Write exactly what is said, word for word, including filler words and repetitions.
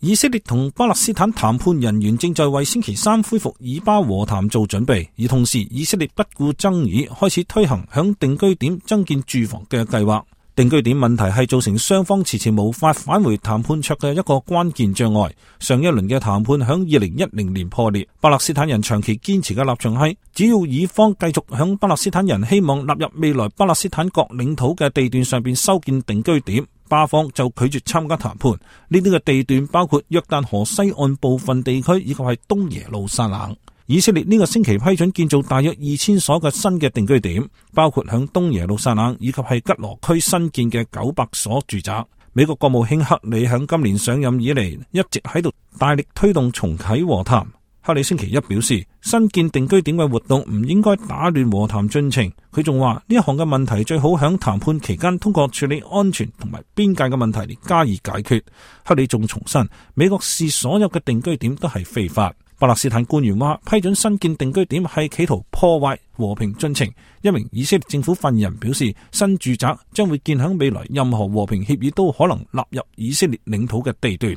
以色列同巴勒斯坦談判人員正在為星期三恢復以巴和談做準備，而同時以色列不顧爭議，開始推行響定居點增建住房嘅計劃。定居點問題係造成雙方遲遲無法返回談判桌嘅一個關鍵障礙。上一輪嘅談判響二零一零年破裂。巴勒斯坦人長期堅持嘅立場係，只要以方繼續響巴勒斯坦人希望納入未來巴勒斯坦國領土嘅地段上邊修建定居點，巴方就拒絕參加談判。呢啲嘅地段包括約旦河西岸部分地區，以及係東耶路撒冷。以色列呢個星期批准建造大約二千所嘅新嘅定居點，包括響東耶路撒冷以及係吉羅區新建嘅九百所住宅。美國國務卿克里響今年上任以嚟一直喺度大力推動重啟和談。克里星期一表示，新建定居點嘅活動唔應該打亂和談進程。佢仲話呢一項嘅問題最好響談判期間通過處理安全同埋邊界嘅問題嚟加以解決。克里仲重申，美國視所有嘅定居點都係非法。巴勒斯坦官員話，批准新建定居點係企圖破壞和平進程。一名以色列政府發言人表示，新住宅將會建響未來任何和平協議都可能納入以色列領土嘅地段。